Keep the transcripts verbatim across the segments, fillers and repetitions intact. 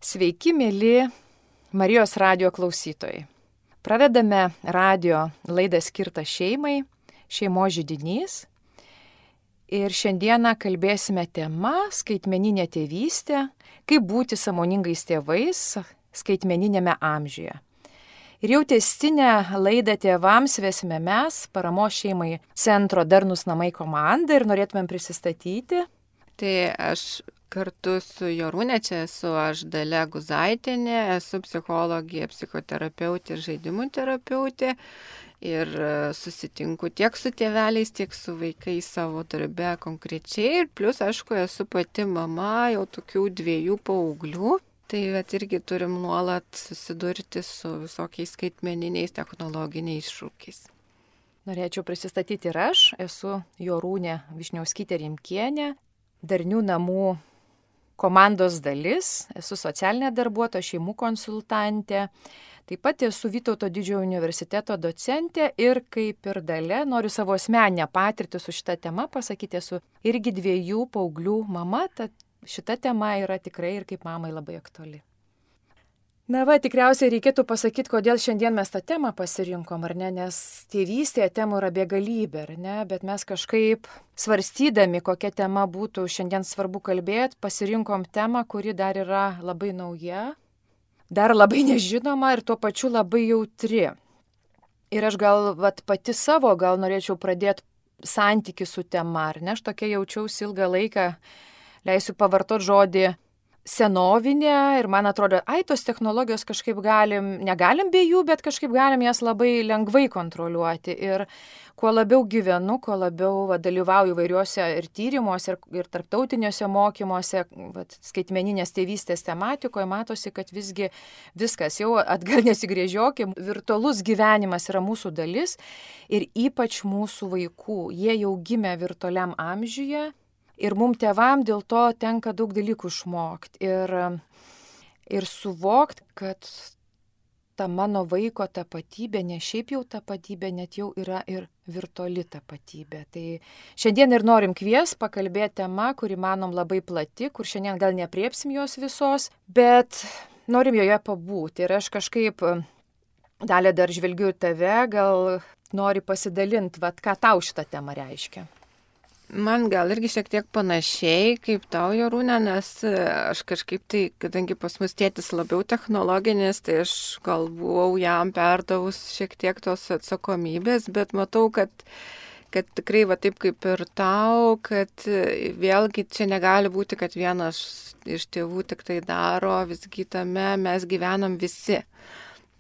Sveiki, mėly Marijos radijo klausytojai. Pradedame radijo laidą skirtą šeimai, šeimos židinys. Ir šiandieną kalbėsime tema skaitmeninė tėvystė, kaip būti sąmoningais tėvais skaitmeninėme amžiuje. Ir jau tęstinę laidą tėvams vesime mes, Paramos šeimai centro Darnūs namai komanda, ir norėtumėm prisistatyti. Tai aš kartu su Jorūne, čia esu aš Dalia Guzaitienė, esu psichologija, psichoterapeutė ir žaidimų terapeutė ir susitinku tiek su tėveliais, tiek su vaikais savo darbe konkrečiai ir plus, aišku, esu pati mama jau tokių dviejų paauglių, tai vat, irgi turim nuolat susidurti su visokiais skaitmeniniais technologiniais šūkiais. Norėčiau prisistatyti ir aš, esu Jorūnė Višniauskytė Rimkienė, Darnių namų komandos dalis, esu socialinė darbuotoja, šeimų konsultantė, taip pat esu Vytauto didžiojo universiteto docentė ir kaip ir Dalia noriu savo asmeninę patirtį su šita tema pasakyti, esu irgi dviejų paauglių mama, tad šita tema yra tikrai ir kaip mamai labai aktuali. Na va, tikriausiai reikėtų pasakyti, kodėl šiandien mes tą temą pasirinkom, ar ne, nes tėvystėje temų yra begalybė, ar ne, bet mes kažkaip svarstydami, kokia tema būtų šiandien svarbu kalbėti, pasirinkom temą, kuri dar yra labai nauja, dar labai nežinoma ir tuo pačiu labai jautri. Ir aš gal vat, pati savo gal norėčiau pradėti santykį su tema, ar ne, aš tokia jaučiausi ilgą laiką, leisiu pavartoti žodį senovinė ir man atrodo, ai, tos technologijos kažkaip galim, negalim be jų, bet kažkaip galim jas labai lengvai kontroliuoti. Ir kuo labiau gyvenu, kuo labiau va, dalyvauju įvairiuose ir tyrimuose, ir, ir tarptautiniuose mokymuose, va, skaitmeninės tėvystės tematikoje, matosi, kad visgi viskas jau atgal nesigrėžiokim, virtualus gyvenimas yra mūsų dalis ir ypač mūsų vaikų. Jie jau gimė virtualiam amžiuje. Ir mums tėvam dėl to tenka daug dalykų išmokti ir, ir suvokti, kad ta mano vaiko tapatybė, ne šiaip jau tapatybė, net jau yra ir virtuali tapatybė. Tai šiandien ir norim kvies pakalbėti tema, kuri manom labai plati, kur šiandien gal nepriepsim jos visos, bet norim joje pabūti. Ir aš kažkaip, Dalia, dar žvelgiu į tave, gal nori pasidalinti, vat, ką tau šitą temą reiškia. Man gal irgi šiek tiek panašiai kaip tau, Jorūne, nes aš kažkaip tai, kadangi pas mus tėtis labiau technologinis, tai aš gal buvau jam perdavus šiek tiek tos atsakomybės, bet matau, kad, kad tikrai va taip kaip ir tau, kad vėlgi čia negali būti, kad vienas iš tėvų tik tai daro, visgi tame mes gyvenam visi.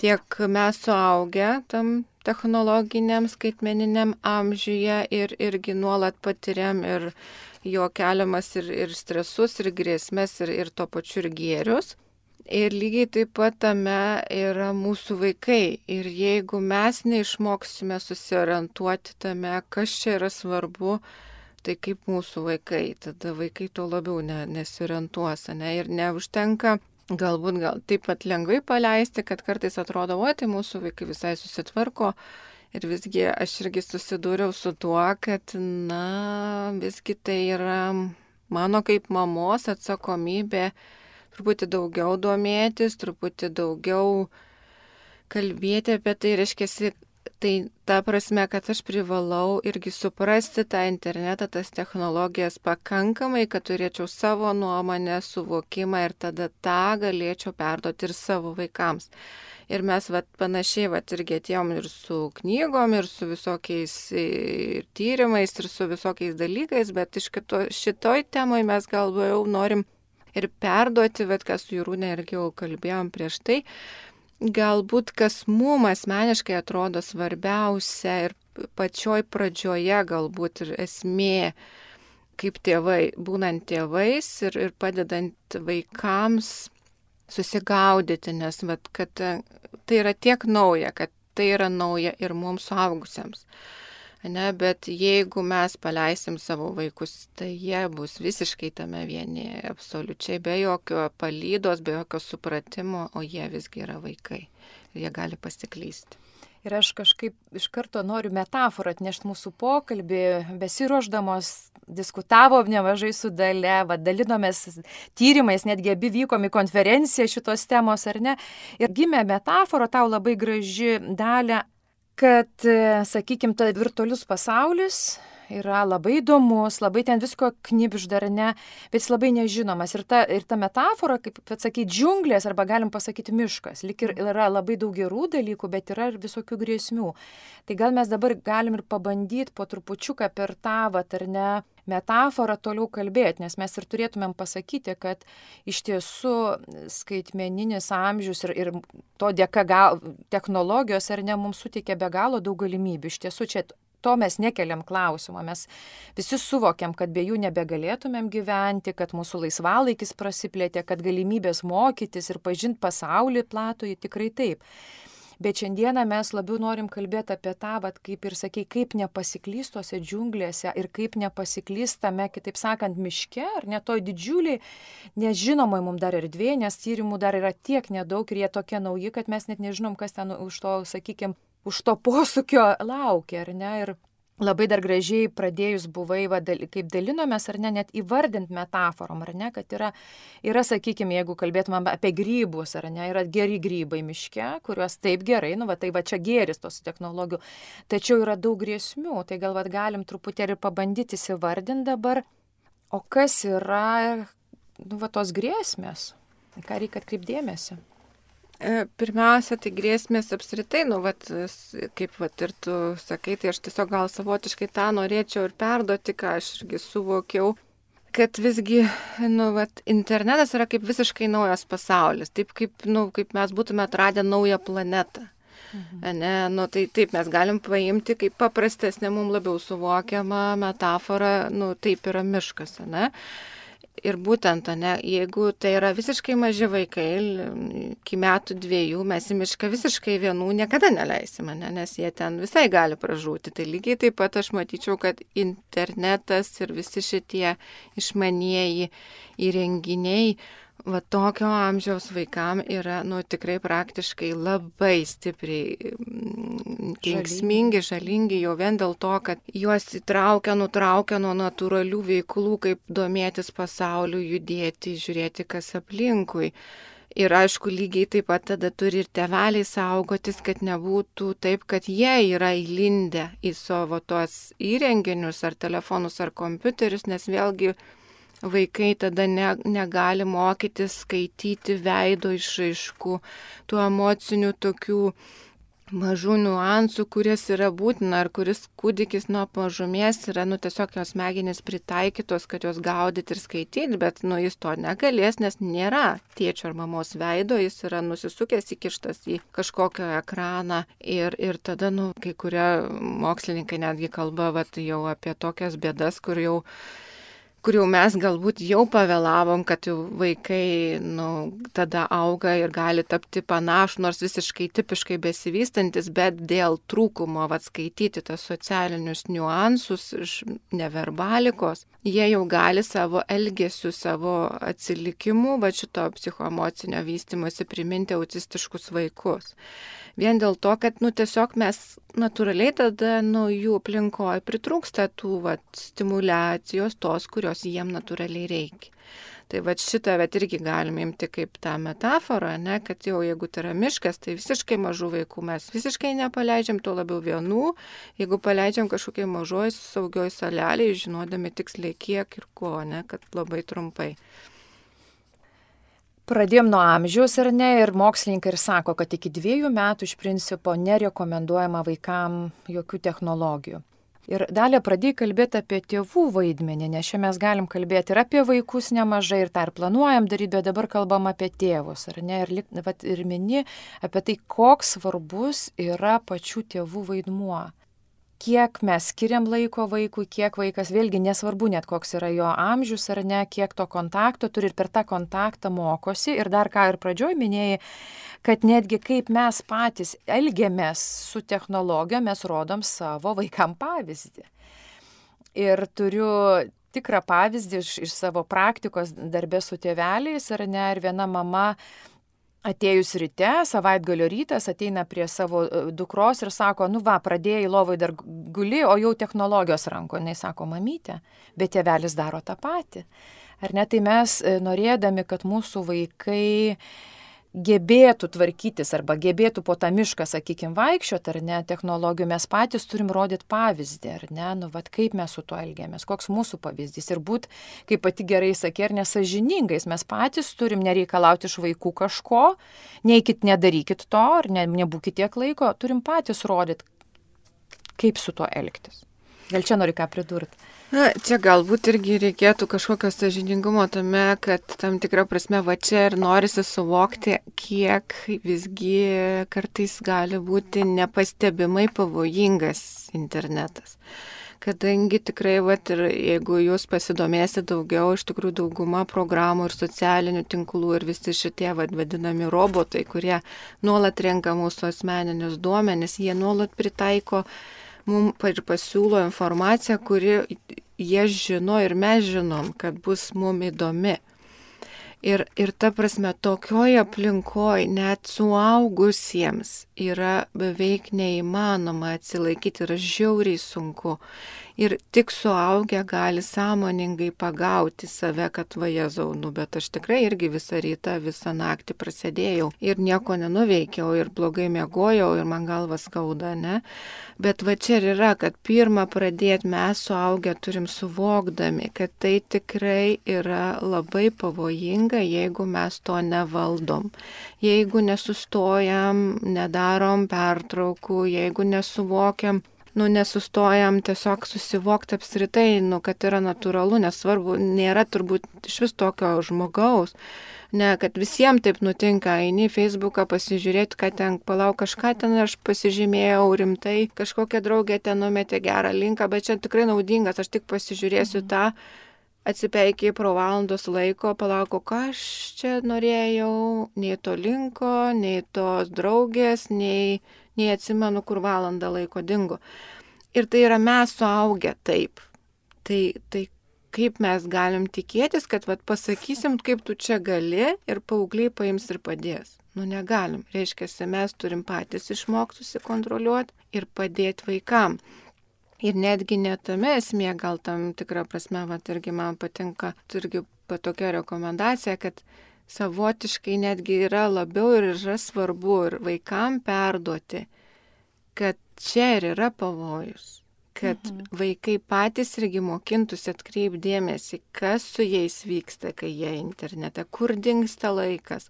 Tiek mes suaugę tam technologiniam, skaitmeniniam amžiuje ir irgi nuolat patiriam ir jo keliamas ir, ir stresus, ir grėsmės, ir, ir to pačiu ir gėrius. Ir lygiai taip pat tame yra mūsų vaikai. Ir jeigu mes neišmoksime susiorientuoti tame, kas čia yra svarbu, tai kaip mūsų vaikai, tada vaikai to labiau ne, nesiorientuos, ne, ir neužtenka. Galbūt gal taip pat lengvai paleisti, kad kartais atrodo, o tai mūsų vaikai visai susitvarko ir visgi aš irgi susidūriau su tuo, kad, na, visgi tai yra mano kaip mamos atsakomybė truputį daugiau domėtis, truputį daugiau kalbėti apie tai, reiškia, tai ta prasme, kad aš privalau irgi suprasti tą internetą, tas technologijas pakankamai, kad turėčiau savo nuomonę, suvokimą ir tada tą galėčiau perduoti ir savo vaikams. Ir mes vat, panašiai vat, irgi atėjom ir su knygom, ir su visokiais ir tyrimais, ir su visokiais dalykais, bet iš kito, šitoj temoj mes gal jau norim ir perduoti, bet kas su Jorūne irgi jau kalbėjom prieš tai, galbūt kas mums asmeniškai atrodo svarbiausia ir pačioj pradžioje galbūt ir esmė, kaip tėvai, būnant tėvais ir, ir padedant vaikams susigaudyti, nes vat, kad tai yra tiek nauja, kad tai yra nauja ir mums suaugusiems. Ne, bet jeigu mes paleisim savo vaikus, tai jie bus visiškai tame vieni, absoliučiai be jokio palydos, be jokio supratimo, o jie visgi yra vaikai ir jie gali pasiklysti. Ir aš kažkaip iš karto noriu metaforą atnešti mūsų pokalbį, besiruošdamos diskutavom nemažai su Dalia, va, dalinomės tyrimais, netgi abi vykom į konferenciją šitos temos, ar ne? Ir gimė metafora, tau labai graži, Dalia, kad, sakykime, ta virtualius pasaulis yra labai įdomus, labai ten visko knibžda, ar ne, bet jis labai nežinomas. Ir ta, ir ta metafora, kaip atsakyti, džiunglės, arba galim pasakyti miškas. Lik ir yra labai daug gerų dalykų, bet yra ir visokių grėsmių. Tai gal mes dabar galim ir pabandyti po trupučiuką per tą, vat, ar ne, metaforą toliau kalbėti, nes mes ir turėtumėm pasakyti, kad iš tiesų skaitmeninis amžius ir, ir to dėka gal, technologijos, ar ne, mums suteikia be galo daug galimybių. Iš tiesų čia to mes nekeliam klausimą, mes visi suvokiam, kad be jų nebegalėtumėm gyventi, kad mūsų laisvalaikis prasiplėtė, kad galimybės mokytis ir pažinti pasaulį platų, tikrai taip. Bet šiandieną mes labiau norim kalbėti apie tą, vat, kaip ir sakei, kaip nepasiklystose džiunglėse ir kaip nepasiklystame, kitaip sakant, miške, ar ne toj didžiuliai, nežinomai mums dar erdvė, nes tyrimų dar yra tiek nedaug ir jie tokie nauji, kad mes net nežinom, kas ten už to, sakykime, už to posūkio laukia, ar ne? Ir labai dar gražiai pradėjus buvai, va, dal, kaip dalinomės, ar ne, net įvardint metaforom, ar ne, kad yra, yra, sakykime, jeigu kalbėtumėm apie grybus, ar ne, yra geri grybai miške, kuriuos taip gerai, nu, va, tai va čia geris tos technologijų, tačiau yra daug grėsmių, tai gal va, galim truputėlį pabandyti įsivardinti dabar, o kas yra, nu, va, tos grėsmės, ką reikia atkreipdėmėsi. Pirmiausia, tai grėsmės apskritai, nu, vat, kaip vat, ir tu sakai, tai aš tiesiog gal savotiškai tą norėčiau ir perduoti, ką aš irgi suvokiau, kad visgi, nu, vat, internetas yra kaip visiškai naujas pasaulis, taip kaip, nu, kaip mes būtume atradę naują planetą. Mhm. Ne, nu, tai taip mes galim paimti kaip paprastesnė, mums labiau suvokiama metafora, nu, taip yra miškas, ne? Ir būtent, ne, jeigu tai yra visiškai maži vaikai, iki metų dviejų, mes į mišką visiškai vienų niekada neleisime, ne, nes jie ten visai gali pražūti. Tai lygiai taip pat aš matyčiau, kad internetas ir visi šitie išmanieji įrenginiai, va tokio amžiaus vaikam yra, nu, tikrai praktiškai labai stipriai kenksmingi, žalingi, jau vien dėl to, kad juos įtraukia, nutraukia nuo natūralių veiklų, kaip domėtis pasauliu, judėti, žiūrėti, kas aplinkui. Ir aišku, lygiai taip pat tada turi ir tėveliai saugotis, kad nebūtų taip, kad jie yra įlindę į savo tuos įrenginius, ar telefonus, ar kompiuterius, nes vėlgi vaikai tada ne, negali mokytis skaityti veido išraiškų, tų emocinių tokių mažų niuansų, kuris yra būtina, ar kuris kūdikis nuo mažumės yra, nu, tiesiog jos smegenys pritaikytos, kad jos gaudyti ir skaityti, bet, nu, jis to negalės, nes nėra tėčio ar mamos veido, jis yra nusisukęs, įkištas į kažkokią ekraną ir, ir tada, nu, kai kurie mokslininkai netgi kalba, vat, jau apie tokias bėdas, kur jau kur jau mes galbūt jau pavėlavom, kad jau vaikai, nu, tada auga ir gali tapti panašų, nors visiškai tipiškai besivystantis, bet dėl trūkumo atskaityti tas socialinius niuansus iš neverbalikos, jie jau gali savo elgesiu, savo atsilikimu, va šito psichoemocinio vystymosi priminti autistiškus vaikus. Vien dėl to, kad, nu, tiesiog mes natūraliai tada, nu, jų aplinkoje pritrūksta tų, vat, stimulacijos tos, kurios jiem natūraliai reikia. Tai vat šitą vat irgi galime imti kaip tą metaforą, ne, kad jau jeigu tai yra miškas, tai visiškai mažų vaikų mes visiškai nepaleidžiam, tuo labiau vienų, jeigu paleidžiam kažkokiai mažoj saugioj salelėje, žinodami tiksliai kiek ir ko, ne, kad labai trumpai. Pradėjom nuo amžiaus, ar ne, ir mokslininkai ir sako, kad iki dviejų metų iš principo nerekomenduojama vaikam jokių technologijų. Ir Dalia pradėjai kalbėti apie tėvų vaidmenį, nes čia mes galim kalbėti ir apie vaikus nemažai, ir tą ir planuojam daryti, bet dabar kalbam apie tėvus, ar ne, ir, vat, ir mini apie tai, koks svarbus yra pačių tėvų vaidmuo. Kiek mes skiriam laiko vaikui, kiek vaikas, vėlgi nesvarbu net koks yra jo amžius ar ne, kiek to kontakto turi ir per tą kontaktą mokosi. Ir dar ką ir pradžioj minėjai, kad netgi kaip mes patys elgiamės su technologija, mes rodom savo vaikam pavyzdį. Ir turiu tikrą pavyzdį iš, iš savo praktikos darbė su tėveliais, ar ne, ir viena mama atėjus ryte, savaitgalio rytas, ateina prie savo dukros ir sako, nu va, pradėjai lovai dar guli, o jau technologijos ranko. Jis sako, mamytė, bet tėvelis daro tą patį. Ar ne, tai mes norėdami, kad mūsų vaikai gebėtų tvarkytis arba gebėtų po tą mišką, sakykime, vaikščioti, ar ne, technologijų, mes patys turim rodyti pavyzdį, ar ne, nu, vat, kaip mes su tuo elgiamės, koks mūsų pavyzdys ir būt, kaip pati gerai sakė, ir nesažiningais, mes patys turim nereikalauti iš vaikų kažko, neikit, nedarykit to, ar ne, nebūkit tiek laiko, turim patys rodyti, kaip su tuo elgtis. Gal čia nori ką pridurti? Na, čia galbūt irgi reikėtų kažkokio sąžiningumo tame, kad tam tikrą prasme va čia ir norisi suvokti, kiek visgi kartais gali būti nepastebimai pavojingas internetas. Kadangi tikrai, vat, ir jeigu jūs pasidomėsite daugiau, iš tikrųjų dauguma programų ir socialinių tinklų ir visi šitie vat, vadinami robotai, kurie nuolat renka mūsų asmeninius duomenis, jie nuolat pritaiko mums ir pasiūlo informaciją, kuri jie žino ir mes žinom, kad bus mums įdomi. Ir, ir ta prasme, tokioje aplinkoje net suaugusiems yra beveik neįmanoma atsilaikyti, yra žiauriai sunku. Ir tik suaugę gali sąmoningai pagauti save, kad va Jėzau, nu, bet aš tikrai irgi visą rytą, visą naktį prasėdėjau ir nieko nenuveikiau ir blogai miegojau ir man galva skauda, ne? Bet va čia ir yra, kad pirmą pradėti mes suaugę turim suvokdami, kad tai tikrai yra labai pavojinga, jeigu mes to nevaldom. Jeigu nesustojam, nedarom pertraukų, jeigu nesuvokiam, nu, nesustojam tiesiog susivokti apskritai, nu, kad yra natūralu, nesvarbu, nėra turbūt iš vis tokio žmogaus, ne, kad visiems taip nutinka, eini į Facebooką pasižiūrėti, kad ten, palauk, kažką ten aš pasižymėjau rimtai, kažkokia draugė ten numetė gerą linką, bet čia tikrai naudingas, aš tik pasižiūrėsiu mhm. tą, atsipeikiai pro valandos laiko, palauko, ką aš čia norėjau, nei to linko, nei tos draugės, nei... nei atsimenu, kur valandą laiko dingo. Ir tai yra mes suaugę taip. Tai, tai kaip mes galim tikėtis, kad vat, pasakysim, kaip tu čia gali ir paaugliai paims ir padės. Nu negalim. Reiškia, mes turim patys išmokti susikontroliuoti ir padėti vaikam. Ir netgi netame esmė, gal tam tikrą prasme, vat, irgi man patinka, irgi tokia rekomendacija, kad savotiškai netgi yra labiau ir yra svarbu ir vaikam perduoti, kad čia ir yra pavojus, kad mhm. vaikai patys irgi mokintųsi atkreipdėmėsi, kas su jais vyksta, kai jie internete, kur dingsta laikas,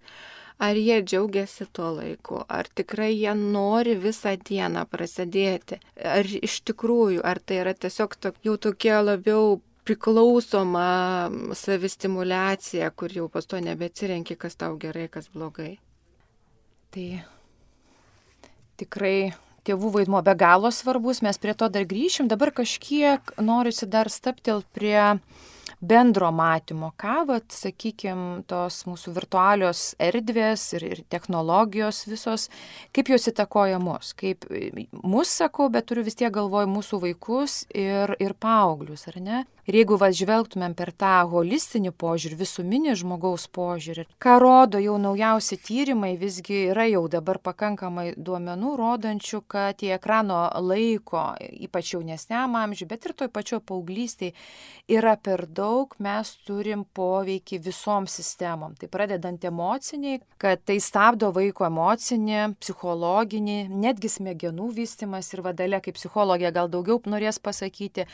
ar jie džiaugiasi tuo laiku, ar tikrai jie nori visą dieną prasidėti, ar iš tikrųjų, ar tai yra tiesiog tok, jau tokie labiau priklausoma savistimuliacija, kur jau pas to nebeatsirenki, kas tau gerai, kas blogai. Tai tikrai tėvų vaidmuo be galo svarbus, mes prie to dar grįšim. Dabar kažkiek norisi dar staptelt prie bendro matymo, ką, vat, sakykime, tos mūsų virtualios erdvės ir, ir technologijos visos, kaip jos įtakoja mus, kaip mus sakau, bet turiu vis tiek galvoj mūsų vaikus ir, ir paauglius, ar ne? Ir jeigu va žvelgtumėm per tą holistinį požiūrį, visuminį žmogaus požiūrį, ką rodo jau naujausi tyrimai, visgi yra jau dabar pakankamai duomenų rodančių, kad į ekrano laiko, ypač jaunesniam amžiui, bet ir toj pačioj paauglystėj, yra per daug, mes turim poveikį visom sistemom. Tai pradedant emociniai, kad tai stabdo vaiko emocinį, psichologinį, netgi smegenų vystymas ir vadalė, kaip psichologija gal daugiau norės pasakyti.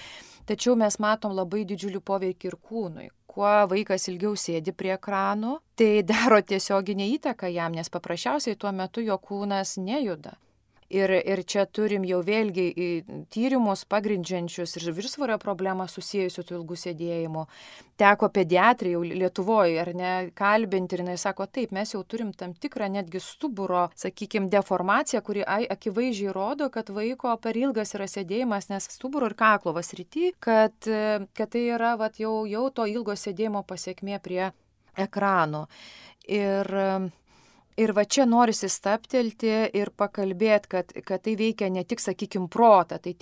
Tačiau mes matom labai didžiulį poveikį ir kūnui. Kuo vaikas ilgiau sėdi prie ekranų, tai daro tiesioginę įtaką jam, nes paprasčiausiai tuo metu jo kūnas nejuda. Ir, ir čia turim jau vėlgi tyrimus pagrindžiančius ir viršsvorio problemą susijusiu su ilgu sėdėjimu. Teko pediatrai jau Lietuvoje, ar ne, kalbinti ir jinai sako, taip, mes jau turim tam tikrą netgi stuburo, sakykime, deformaciją, kuri akivaizdžiai rodo, kad vaiko per ilgas yra sėdėjimas, nes stuburo ir kaklo srity, kad, kad tai yra vat, jau, jau to ilgo sėdėjimo pasiekmė prie ekrano. Ir Ir va čia norisi staptelti ir pakalbėti, kad, kad tai veikia ne tik, sakykime, protą, tai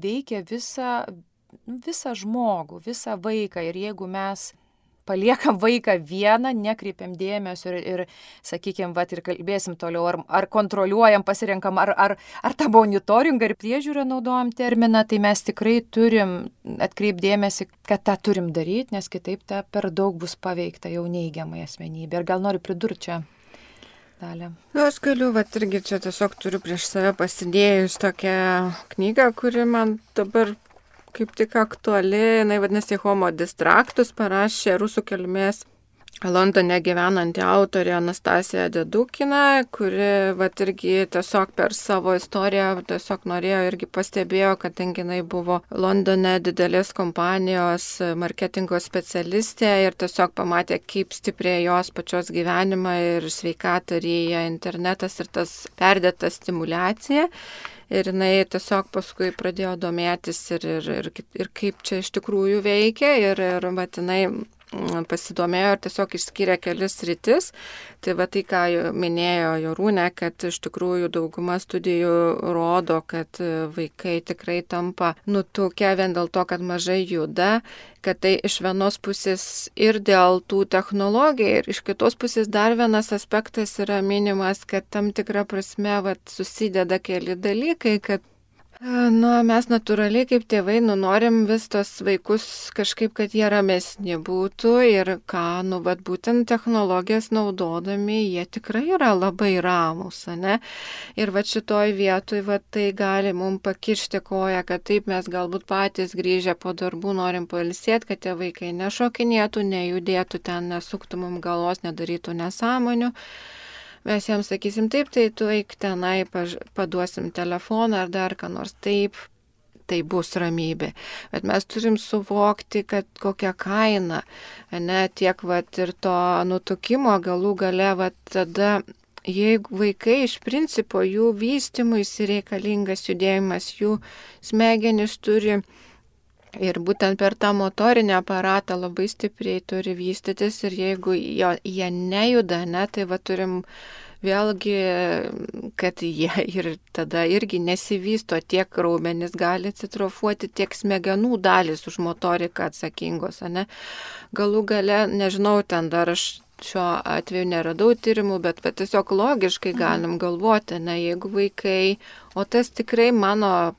veikia visą, visą žmogų, visą vaiką. Ir jeigu mes paliekam vaiką vieną, nekreipiam dėmesio ir, ir sakykime, vat, ir kalbėsim toliau, ar, ar kontroliuojam, pasirenkam, ar, ar, ar tą monitoringą ir priežiūrą naudojam terminą, tai mes tikrai turim atkreipdėmėsi, kad tą turim daryti, nes kitaip ta per daug bus paveikta jau neigiamai asmenybė. Ir gal noriu pridurti čia. Dalė. Nu, aš galiu, va, irgi čia tiesiog turiu prieš save pasidėjus tokią knygą, kuri man dabar kaip tik aktuali, jinai vadinasi Homo Distractus, parašė rusų kilmės Londone gyvenanti autorė Anastasija Dedukina, kuri vat irgi tiesiog per savo istoriją tiesiog norėjo irgi pastebėjo, kadangi jinai buvo Londone didelės kompanijos marketingo specialistė ir tiesiog pamatė, kaip stipriai jos pačios gyvenimą ir sveikatą ryja internetas ir tas perdėta stimulacija. Ir jinai tiesiog paskui pradėjo domėtis ir, ir, ir, ir kaip čia iš tikrųjų veikia ir, ir vat, jinai pasidomėjo ir tiesiog išskyrė kelis sritis. Tai va tai, ką minėjo Jorūnė, kad iš tikrųjų dauguma studijų rodo, kad vaikai tikrai tampa nutukę vien dėl to, kad mažai juda, kad tai iš vienos pusės ir dėl tų technologijų, ir iš kitos pusės dar vienas aspektas yra minimas, kad tam tikra prasme vat, susideda keli dalykai, kad Nu, mes natūraliai kaip tėvai nu, norim vis tos vaikus kažkaip, kad jie ramesni būtų ir ką, nu, vat, būtent technologijas naudodami, jie tikrai yra labai ramus, ne? Ir vat šitoj vietoj, vat, tai gali mums pakišti koją, kad taip mes galbūt patys grįžę po darbų norim pailsėti, kad tie vaikai nešokinėtų, nejudėtų ten, nesuktų mums galvos, nedarytų nesąmonių. Mes jiems sakysim taip, tai tu eik tenai, paduosim telefoną ar dar ką nors taip, tai bus ramybė. Bet mes turim suvokti, kad kokia kaina, ne, tiek vat, ir to nutukimo galų gale, vat, tada, jeigu vaikai iš principo jų vystymui reikalingas judėjimas, jų smegenys turi ir būtent per tą motorinį aparatą labai stipriai turi vystytis ir jeigu jo, jie nejuda, ne, tai va turim vėlgi, kad jie ir tada irgi nesivysto, tiek raumenis gali atsitrofuoti, tiek smegenų dalys už motoriką atsakingos, ne. Galų gale, nežinau, ten dar aš šiuo atveju neradau tyrimų, bet, bet tiesiog logiškai galim galvoti, ne, jeigu vaikai, o tas tikrai mano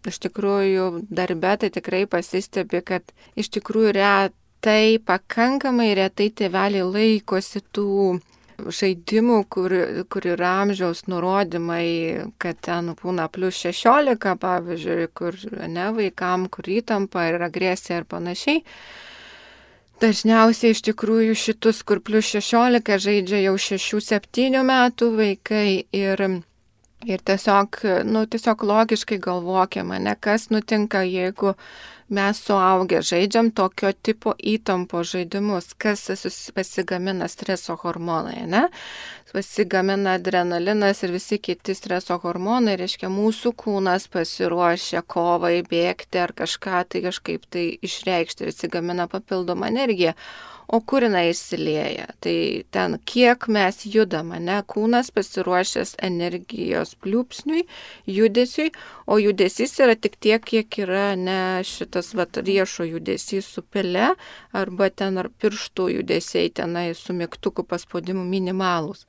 iš tikrųjų darbe tai tikrai pasistebi, kad iš tikrųjų retai, pakankamai retai tėveliai laikosi tų žaidimų, kur, kur yra amžiaus nurodymai, kad ten būna plus šešiolika, pavyzdžiui, kur ne vaikam, kur įtampa ir agresija ir panašiai. Dažniausiai iš tikrųjų šitus, kur plus šešiolika žaidžia jau šešių septynių metų vaikai ir Ir tiesiog, nu, tiesiog logiškai galvokime, ne, kas nutinka, jeigu mes suaugę žaidžiam tokio tipo įtampo žaidimus, kas pasigamina streso hormonai, ne? Pasigamina adrenalinas ir visi kiti streso hormonai, reiškia mūsų kūnas pasiruošia kovai, bėgti ar kažką tai kažkaip tai išreikšti ir atsigamina papildomą energiją. O kur jinai išsilieja? Tai ten, kiek mes judame, ne? Kūnas pasiruošęs energijos pliūpsniui, judesiui, o judesys yra tik tiek, kiek yra ne šitas vat, riešo judesys su pele, arba ten ar pirštų judesiai tenai su mygtuku paspaudimu minimalūs.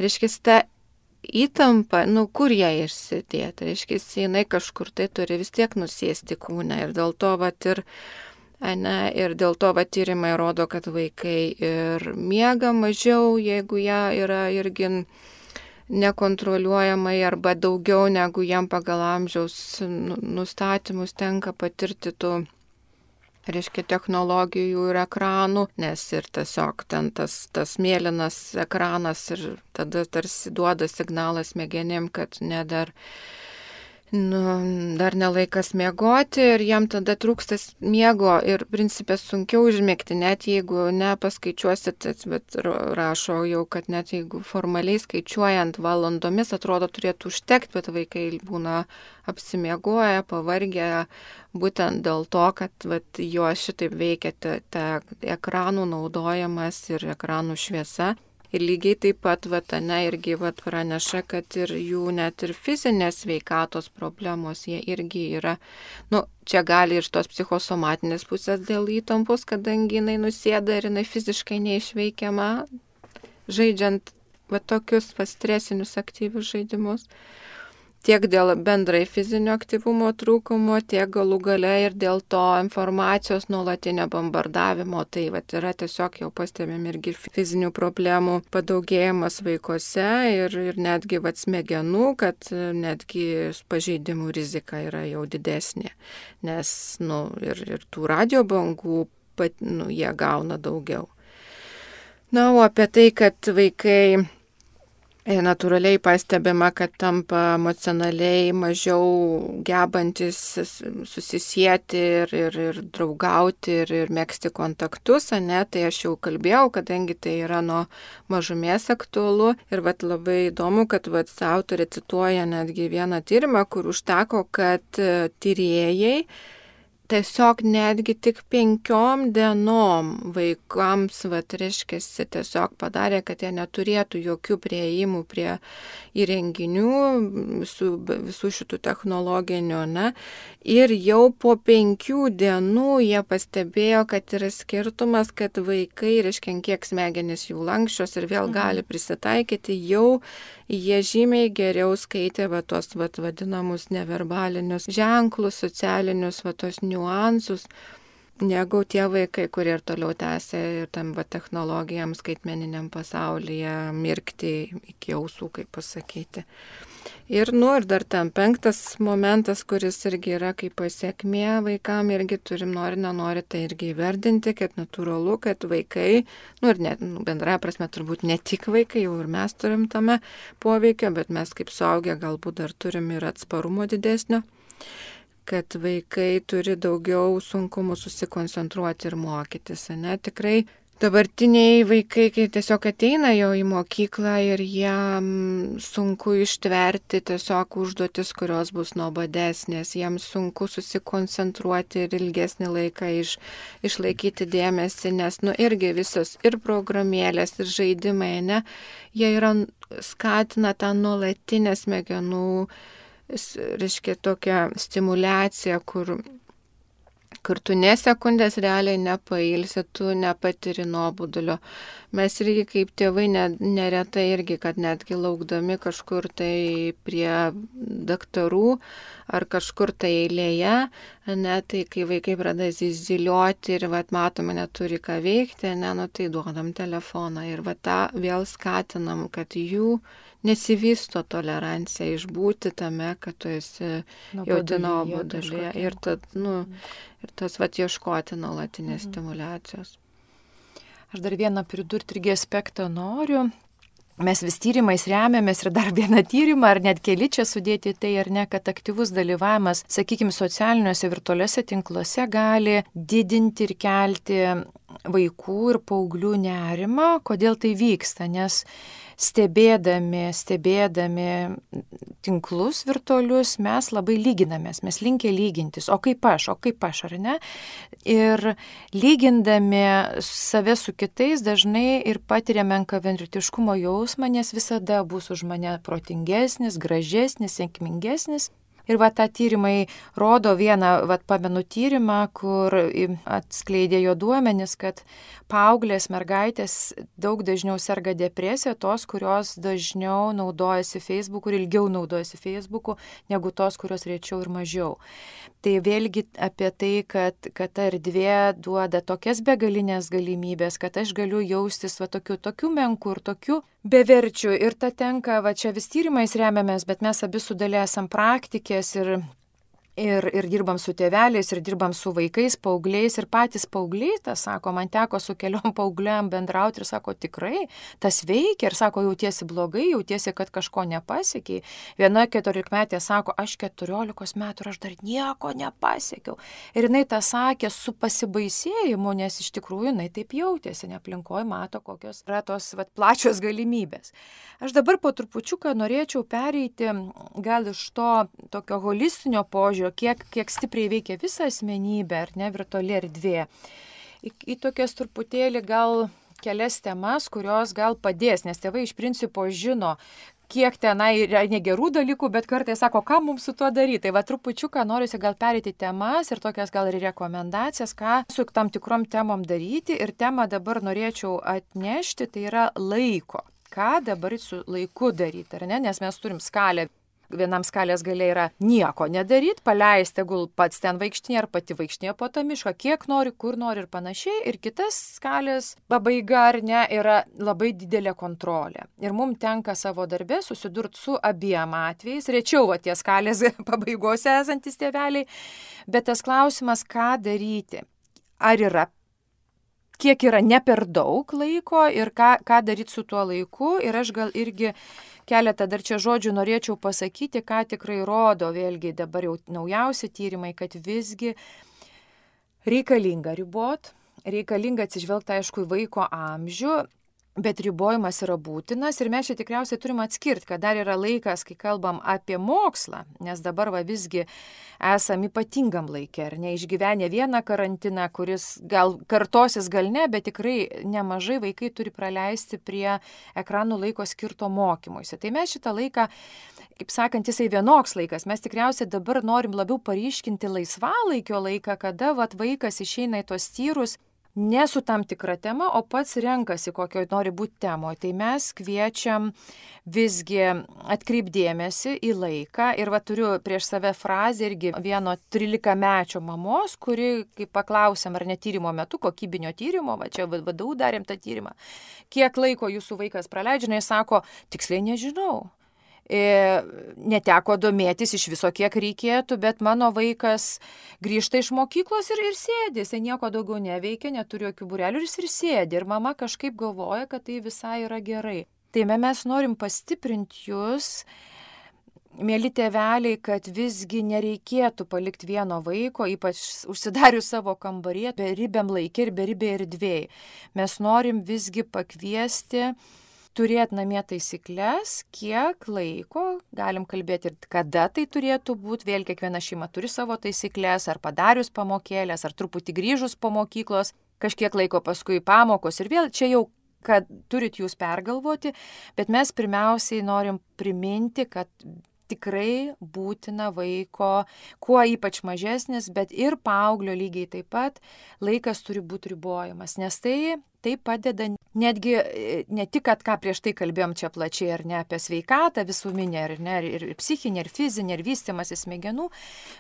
Reiškia, ta įtampa, nu kur ją išsidėti? Reiškia, jinai kažkur tai turi vis tiek nusėsti kūne ir dėl to vat ir Ne, ir dėl to va, tyrimai rodo, kad vaikai ir miega mažiau, jeigu jie yra irgi nekontroliuojamai arba daugiau negu jam pagal amžiaus nustatymus tenka patirti tų, reiškia, technologijų ir ekranų, nes ir tiesiog ten tas, tas mėlynas ekranas ir tada tarsi duoda signalą smegenim, kad ne dar Nu, dar nelaikas miegoti ir jam tada trūkstas miego ir principė sunkiau užmigti, net jeigu nepaskaičiuosit, bet rašo jau, kad net jeigu formaliai skaičiuojant valandomis atrodo turėtų užtekti, bet vaikai būna apsimiegoję, pavargę, būtent dėl to, kad vat, jo šitaip veikia ta, ta ekranų naudojimas ir ekranų šviesa. Ir lygiai taip pat, vat, ne, irgi vat, praneša, kad ir jų net ir fizinės sveikatos problemos, jie irgi yra, nu, čia gali ir tos psichosomatinės pusės dėl įtampos, kadangi jinai nusėda ir jinai fiziškai neišveikiama, žaidžiant va tokius va stresinius aktyvius žaidimus. Tiek dėl bendrai fizinio aktyvumo trūkumo, tiek galų gale ir dėl to informacijos nuolatinio bombardavimo. Tai vat, yra tiesiog jau pastebėm irgi fizinių problemų padaugėjimas vaikuose ir, ir netgi vat, smegenų, kad netgi pažeidimų rizika yra jau didesnė. Nes nu, ir, ir tų radio bangų pat, nu, jie gauna daugiau. Na, o apie tai, kad vaikai natūraliai pastebima, kad tampa emocionaliai mažiau gebantis susisieti ir, ir, ir draugauti ir, ir megzti kontaktus, ne, tai aš jau kalbėjau, kadangi tai yra nuo mažumės aktualu. Ir vat, labai įdomu, kad vat, autorė cituoja netgi vieną tyrimą, kur užteko, kad tyrėjai tiesiog netgi tik penkiom dienom vaikams, vat, reiškiasi, tiesiog padarė, kad jie neturėtų jokių prieimų prie įrenginių, visų, visų šitų technologinių, ne. Ir jau po penkių dienų jie pastebėjo, kad yra skirtumas, kad vaikai, reiškia, kiek smegenys jų lankščios ir vėl gali prisitaikyti, jau jie žymiai geriau skaitė va, tos va, vadinamus neverbalinius ženklus, socialinius va, tos niuansus, negu tie vaikai, kurie ir toliau tęsia ir tam va, technologijam skaitmeniniam pasaulyje mirkti iki ausų, kaip pasakyti. Ir, nu, ir dar tam penktas momentas, kuris irgi yra kaip pasiekmė vaikam, irgi turim nori, nenori tai irgi įverdinti, kad natūralu, kad vaikai, nu, ir net, nu, bendrąja prasme turbūt ne tik vaikai, jau ir mes turim tame poveikio, bet mes kaip suaugę galbūt dar turim ir atsparumo didesnio, kad vaikai turi daugiau sunkumų susikoncentruoti ir mokytis, ne, tikrai. Dabartiniai vaikai, kai tiesiog ateina jau į mokyklą ir jiem sunku ištverti tiesiog užduotis, kurios bus nuobodesnės, jiems sunku susikoncentruoti ir ilgesnį laiką iš, išlaikyti dėmesį, nes nu irgi visos ir programėlės, ir žaidimai, ne, jie yra skatina tą nuolatinę smegenų, reiškia tokią stimulaciją, kur kur tu ne sekundės realiai nepailsi, tu nepatiri nuobodulio. Mes irgi kaip tėvai neretai irgi, kad netgi laukdami kažkur tai prie daktarų ar kažkur tai eilėje, ne, tai kai vaikai pradeda ziziliuoti ir vat, matome, neturi ką veikti, ne, nu, tai duodam telefoną ir vat, tą vėl skatinam, kad jų nesivysto tolerancija išbūti tame, kad tu esi jauti nuobodulį ir, nu, ir tas vat, ieškoti nuolatinės mhm. stimulacijos. Aš dar vieną pridurti irgi aspektą noriu. Mes vis tyrimais remiamės ir dar vieną tyrimą, ar net keli čia sudėti tai, ar ne, kad aktyvus dalyvavimas, sakykime, socialiniuose virtualiuose tinkluose gali didinti ir kelti vaikų ir paauglių nerimą. Kodėl tai vyksta? Nes stebėdami, stebėdami tinklus virtualius, mes labai lyginamės, mes linkę lygintis, o kaip aš, o kaip aš, ar ne? Ir lygindami save su kitais dažnai ir patiriame menkavertiškumo jausmą, nes visada bus už mane protingesnis, gražesnis, sėkmingesnis. Ir va, tą tyrimai rodo vieną, va, pamenu tyrimą, kur atskleidė jo duomenis, kad paauglės mergaitės daug dažniau serga depresija, tos, kurios dažniau naudojasi Facebooku ir ilgiau naudojasi Facebooku, negu tos, kurios rečiau ir mažiau. Tai vėlgi apie tai, kad, kad ta erdvė duoda tokias begalinės galimybės, kad aš galiu jaustis va, tokiu, tokiu menku ir tokiu beverčiu. Ir ta tenka, va čia vis tyrimais remiamės, bet mes abi su Dalia esam praktikės ir, ir, ir dirbam su tėveliais, ir dirbam su vaikais, paaugliais. Ir patys paaugliai, tas sako, man teko su keliom paaugliam bendrauti ir sako, tikrai, tas veikia. Ir sako, jautiesi blogai, jautiesi, kad kažko nepasiekiai. Viena keturiolikmetė sako, aš keturiolikos metų ir aš dar nieko nepasiekiau. Ir jinai tą sakė su pasibaisėjimu, nes iš tikrųjų jinai taip jautėsi, ne aplinkoje mato, kokios yra tos vat, plačios galimybės. Aš dabar po trupučiuką norėčiau pereiti gal iš to tokio holistinio požiūrio, kiek, kiek stipriai veikia visą asmenybę, ar ne, virtuali erdvė. Į, į tokias truputėlį gal kelias temas, kurios gal padės, nes tėvai iš principo žino, kiek tenai yra negerų dalykų, bet kartais sako, ką mums su tuo daryti. Tai va trupučiuką norisi gal perėti temas ir tokias gal ir rekomendacijas, ką su tam tikrom temom daryti. Ir temą dabar norėčiau atnešti, tai yra laiko. Ką dabar su laiku daryti, ar ne? Nes mes turim skalę. Vienam skalės galia yra nieko nedaryti, paleisti, gul pats ten vaikštinė ar pati vaikštinė po tą mišką, kiek nori, kur nori ir panašiai. Ir kitas skalės pabaiga ar ne yra labai didelė kontrolė. Ir mums tenka savo darbę susidurti su abiem atvejais, rečiau va, tie skalės pabaigose esantis tėveliai, bet tas klausimas, ką daryti, ar yra, kiek yra ne per daug laiko ir ką, ką daryti su tuo laiku. Ir aš gal irgi keletą dar čia žodžių norėčiau pasakyti, ką tikrai rodo, vėlgi dabar jau naujausi tyrimai, kad visgi reikalinga ribot, reikalinga atsižvelgti aišku į vaiko amžių, bet ribojimas yra būtinas ir mes čia tikriausiai turim atskirti, kad dar yra laikas, kai kalbam apie mokslą, nes dabar va visgi esam ypatingam laikė, ar ne, išgyvenę vieną karantiną, kuris gal kartosis, gal ne, bet tikrai nemažai vaikai turi praleisti prie ekranų laiko skirto mokymuisi. Tai mes šitą laiką, kaip sakant, jisai vienoks laikas, mes tikriausiai dabar norim labiau paryškinti laisvalaikio laiką, kada vat, vaikas išeina į tos tyrus, ne su tam tikra tema, o pats renkasi, kokio nori būti temoje. Tai mes kviečiam visgi atkreipdėmėsi į laiką. Ir va turiu prieš save frazę irgi vieno trilikamečio mamos, kuri, kai paklausėm, ar ne tyrimo metu, kokybinio tyrimo, va čia vadau darėm tą tyrimą, kiek laiko jūsų vaikas praleidžia, jis sako, tiksliai nežinau. E, neteko domėtis iš viso, kiek reikėtų, bet mano vaikas grįžta iš mokyklos ir, ir sėdi, jis nieko daugiau neveikia, neturi jokių būrelių ir jis ir sėdi. Ir mama kažkaip galvoja, kad tai visai yra gerai. Tai mes norim pastiprinti jūs, mėly tėveliai, kad visgi nereikėtų palikti vieno vaiko, ypač užsidarius savo kambarį, beribiam laikė ir beribė erdvėj. Mes norim visgi pakviesti turėti namie taisyklės, kiek laiko, galim kalbėti ir kada tai turėtų būti, vėl kiekviena šeima turi savo taisyklės, ar padarius pamokėlės, ar truputį grįžus po mokyklos, kažkiek laiko paskui pamokos ir vėl čia jau, kad turit jūs pergalvoti, bet mes pirmiausiai norim priminti, kad tikrai būtina vaiko, kuo ypač mažesnis, bet ir paauglio lygiai taip pat, laikas turi būti ribojamas, nes tai, tai padeda netgi ne tik, kad ką prieš tai kalbėjom čia plačiai, ar ne apie sveikatą visuminę, ar ne, ir psichinę, ir fizinę, ir vystymąsi smegenų,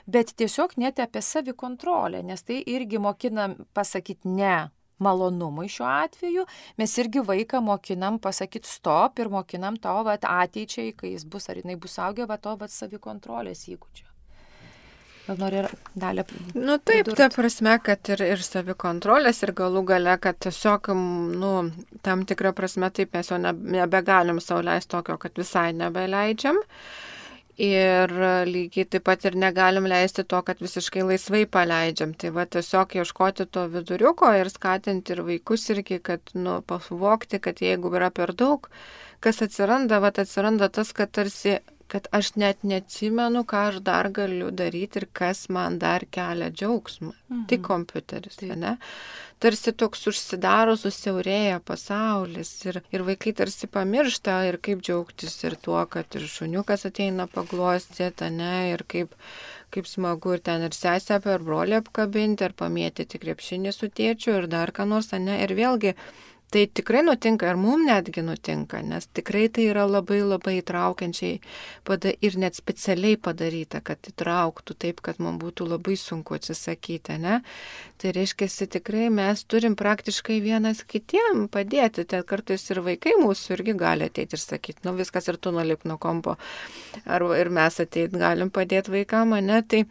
bet tiesiog net apie savikontrolę, nes tai irgi mokinam pasakyti ne malonumui šiuo atveju, mes irgi vaiką mokinam pasakyti stop ir mokinam to vat, ateičiai, kai jis bus, ar jinai bus augę, va to vat, savikontrolės įgūdžio. Gal nori dalį pridurti? Nu taip, ta prasme, kad ir, ir savikontrolės, ir galų gale, kad tiesiog, nu, tam tikrą prasme taip mes jau nebegalim sau leisti tokio, kad visai nebeleidžiam. Ir lygiai taip pat ir negalim leisti to, kad visiškai laisvai paleidžiam. Tai va tiesiog ieškoti to viduriuko ir skatinti ir vaikus irgi, kad, nu, pasuvokti, kad jeigu yra per daug, kas atsiranda, va atsiranda tas, kad tarsi, kad aš net neatsimenu, ką aš dar galiu daryti ir kas man dar kelia džiaugsmą. Mhm. Tai kompiuteris, tai. Ne? Tarsi toks užsidaro, susiaurėja pasaulis ir, ir vaikai tarsi pamiršta ir kaip džiaugtis ir tuo, kad ir šuniukas ateina paglostyti, ne, ir kaip, kaip smagu ir ten ir sesę per brolį apkabinti, ir pamėtyti krepšinį su tėčiu ir dar ką nors, ne, ir vėlgi tai tikrai nutinka ir mums netgi nutinka, nes tikrai tai yra labai labai įtraukiančiai pada, ir net specialiai padaryta, kad įtrauktų taip, kad mums būtų labai sunku atsisakyti, ne? Tai reiškia, tikrai mes turim praktiškai vienas kitiem padėti, tai kartais ir vaikai mūsų irgi gali ateiti ir sakyti, nu viskas ir tu nulip nuo kompo, ar ir mes ateiti galim padėti vaikam, ne? Tai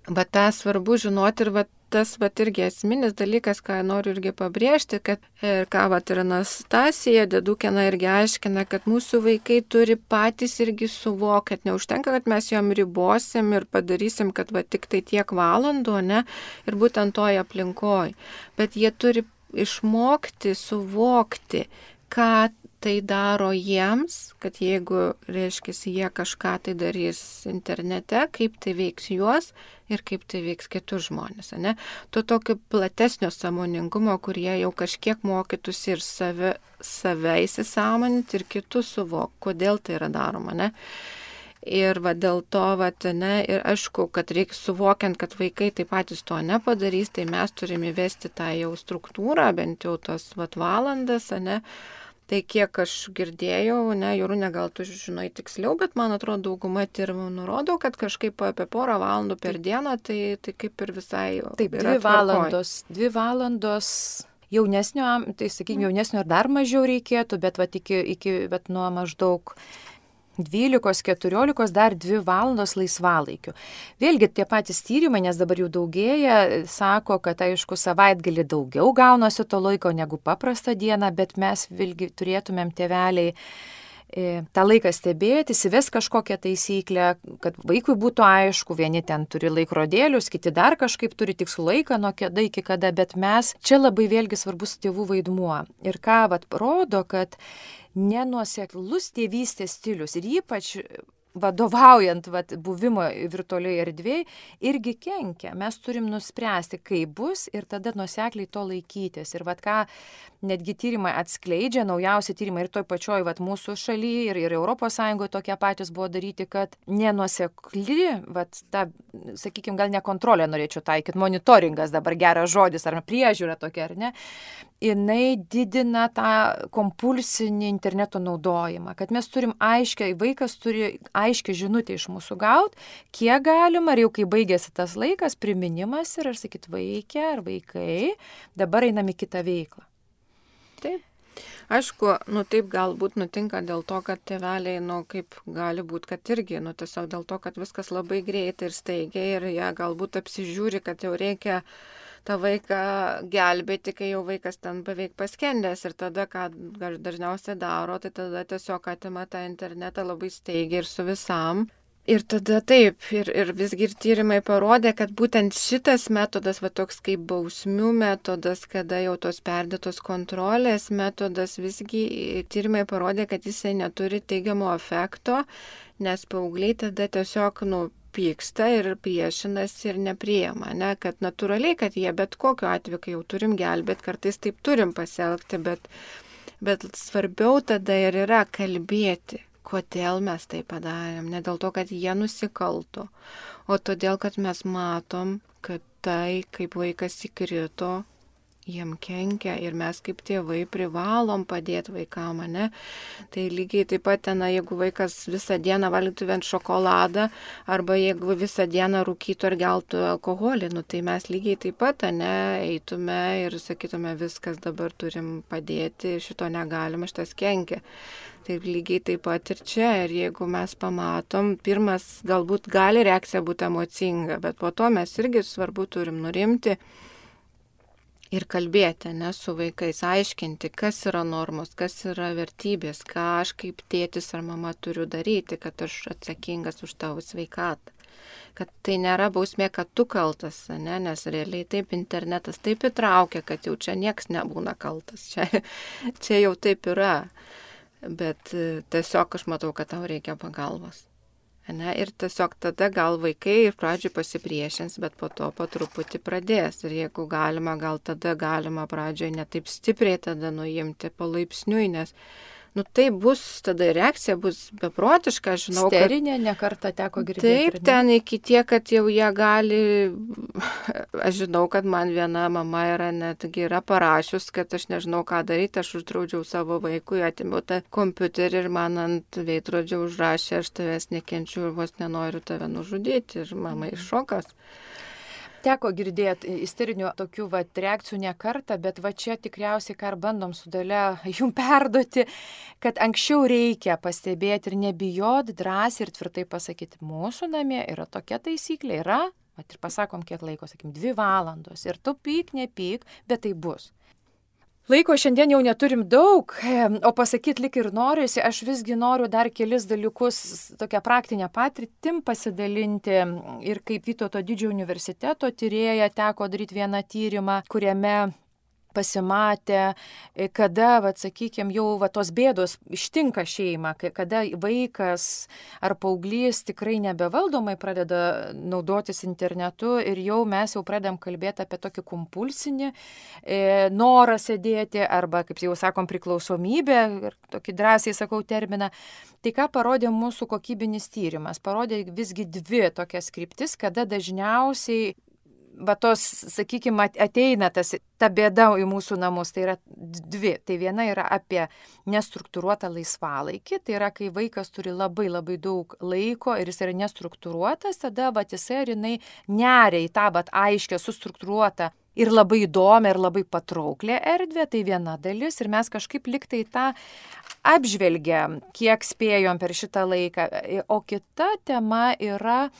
bet tą svarbu žinoti ir vat, tas vat irgi esminis dalykas, ką noriu irgi pabrėžti, kad ir ką vat ir Anastasija Dedukina irgi aiškina, kad mūsų vaikai turi patys irgi suvokti, kad neužtenka, kad mes jom ribosim ir padarysim, kad va tik tai tiek valandų, ne, ir būtent toj aplinkoj, bet jie turi išmokti, suvokti, ką tai daro jiems, kad jeigu, reiškia, jie kažką tai darys internete, kaip tai veiks juos ir kaip tai veiks kitus žmonės, ne? To tokio platesnio sąmoningumo, kurie jau kažkiek mokytųsi ir save, save įsisąmoninti ir kitus suvok, kodėl tai yra daroma, ne? Ir va dėl to, va, ne, ir aišku, kad reikia suvokiant, kad vaikai taip patys to nepadarys, tai mes turime įvesti tą jau struktūrą, bent jau tos va, valandas, ne. Tai kiek aš girdėjau, ne, Jorūne, gal tu žinai tiksliau, bet man atrodo, dauguma tyrimų nurodo, kad kažkaip apie porą valandų per dieną, tai, tai kaip ir visai taip, dvi valandos, dvi valandos jaunesnio, tai sakykime, jaunesnio ir dar mažiau reikėtų, bet, va, iki, iki, bet nuo maždaug dvylikos keturiolikos dar dvi valandos laisvalaikių. Vėlgi tie patys tyrimai, nes dabar jų daugėja, sako, kad aišku savaitgalį daugiau gaunasi to laiko negu paprastą dieną, bet mes vėlgi turėtumėm tėveliai e, tą laiką stebėti, įsives kažkokią taisyklę, kad vaikui būtų aišku, vieni ten turi laikrodėlius, kiti dar kažkaip turi tikslų laiką nuo kada iki kada, bet mes čia labai vėlgi svarbus tėvų vaidmuo. Ir ką vat rodo, kad nenuoseklus tėvystės stilius ir ypač vadovaujant vat, buvimo virtualioje erdvėje irgi kenkia. Mes turim nuspręsti, kaip bus ir tada nuosekliai to laikytis. Ir vat, ką netgi tyrimai atskleidžia, naujausi tyrimai ir toj pačioj vat, mūsų šalyje ir, ir Europos Sąjungoje tokie patys buvo daryti, kad nenuosekli, vat, ta, sakykime, gal ne kontrolė norėčiau taikyti, monitoringas dabar geras žodis, ar priežiūra tokia, ar ne, jinai didina tą kompulsinį interneto naudojimą, kad mes turim aiškiai, vaikas turi aiškiai žinutę iš mūsų gauti, kiek galima, ir jau kai baigėsi tas laikas, priminimas ir aš sakyt, vaikė ar vaikai, dabar einam į kitą veiklą. Taip. Aišku, nu taip galbūt nutinka dėl to, kad tėveliai, nu kaip gali būti, kad irgi, nu tiesiog dėl to, kad viskas labai greitai ir staigiai ir jie galbūt apsižiūri, kad jau reikia tą vaiką gelbėti, kai jau vaikas ten beveik paskendęs ir tada, ką dažniausiai daro, tai tada tiesiog atima tą internetą labai staigiai ir su visam. Ir tada taip, ir, ir visgi ir tyrimai parodė, kad būtent šitas metodas, va toks kaip bausmių metodas, kada jau tos perdėtos kontrolės metodas, visgi tyrimai parodė, kad jisai neturi teigiamo efekto, nes paaugliai tada tiesiog, nu, pyksta ir priešinasi ir nepriima, ne, kad natūraliai, kad jie bet kokiu atveju, kai jau turim gelbėti, kartais taip turim pasielgti, bet, bet svarbiau tada ir yra kalbėti, kodėl mes tai padarėm, ne dėl to, kad jie nusikalto, o todėl, kad mes matom, kad tai, kaip vaikas įkrito, jiem kenkia ir mes kaip tėvai privalom padėti vaikam, ne? Tai lygiai taip pat ten, jeigu vaikas visą dieną valgytų vien šokoladą arba jeigu visą dieną rūkytų ar geltų alkoholį, nu tai mes lygiai taip pat, ne, eitume ir sakytume, viskas dabar turim padėti, šito negalima, šitas kenkia. Taip lygiai taip pat ir čia, ir jeigu mes pamatom, pirmas galbūt gali reakcija būti emocinga, bet po to mes irgi svarbu turim nurimti ir kalbėti, ne, su vaikais, aiškinti, kas yra normos, kas yra vertybės, ką aš kaip tėtis ar mama turiu daryti, kad aš atsakingas už tavo sveikatą. Kad tai nėra bausmė, kad tu kaltas, ne, nes realiai taip internetas taip įtraukia, kad jau čia nieks nebūna kaltas, čia, čia jau taip yra, bet tiesiog aš matau, kad tau reikia pagalbos. Ne, ir tiesiog tada gal vaikai ir pradžioj pasipriešins, bet po to po truputį pradės. Ir jeigu galima, gal tada galima pradžioj ne taip stipriai tada nuimti palaipsniui, nes nu tai bus, tada reakcija bus beprotiška, aš žinau. Sterinė, kad... nekartą teko girdėti. Taip, ten iki tiek, kad jau jie gali, aš žinau, kad man viena mama yra netgi yra parašius, kad aš nežinau, ką daryti, aš uždraudžiau savo vaikui, atimiau tą kompiuterį ir man ant veidrodžio užrašė, aš tavęs nekenčiu ir vos nenoriu tave nužudyti ir mama iššokas. Teko girdėti isterinių tokių va, reakcijų ne kartą, bet va čia tikriausiai, ką ir bandom su Dalia jum perduoti, kad anksčiau reikia pastebėti ir nebijoti, drąsiai ir tvirtai pasakyti, mūsų namie yra tokia taisyklė, yra, va, ir pasakom kiek laiko, sakim, dvi valandos ir tu pyk, nepyk, bet tai bus. Laiko šiandien jau neturim daug, o pasakyti lik ir noriuosi, aš visgi noriu dar kelis dalykus, tokią praktinę patirtim pasidalinti ir kaip Vytauto didžiojo universiteto tyrėja teko daryti vieną tyrimą, kuriame pasimatę, kada, va, sakykime, jau va, tos bėdos ištinka šeimą, kada vaikas ar paauglys tikrai nebevaldomai pradeda naudotis internetu ir jau mes jau pradedam kalbėti apie tokį kompulsinį e, norą sėdėti arba, kaip jau sakom, priklausomybę, ir tokį drąsiai sakau terminą. Tai ką parodė mūsų kokybinis tyrimas? Parodė visgi dvi tokias kryptis, kada dažniausiai va tos, sakykime, ateina tas, ta bėda į mūsų namus, tai yra dvi. Tai viena yra apie nestruktūruotą laisvalaikį, tai yra, kai vaikas turi labai labai daug laiko ir jis yra nestruktūruotas, tada va jisai ar jinai neria į tą va aiškę, sustruktūruotą ir labai įdomią ir labai patrauklę erdvę, tai viena dalis ir mes kažkaip liktai tą apžvelgiam, kiek spėjom per šitą laiką. O kita tema yra,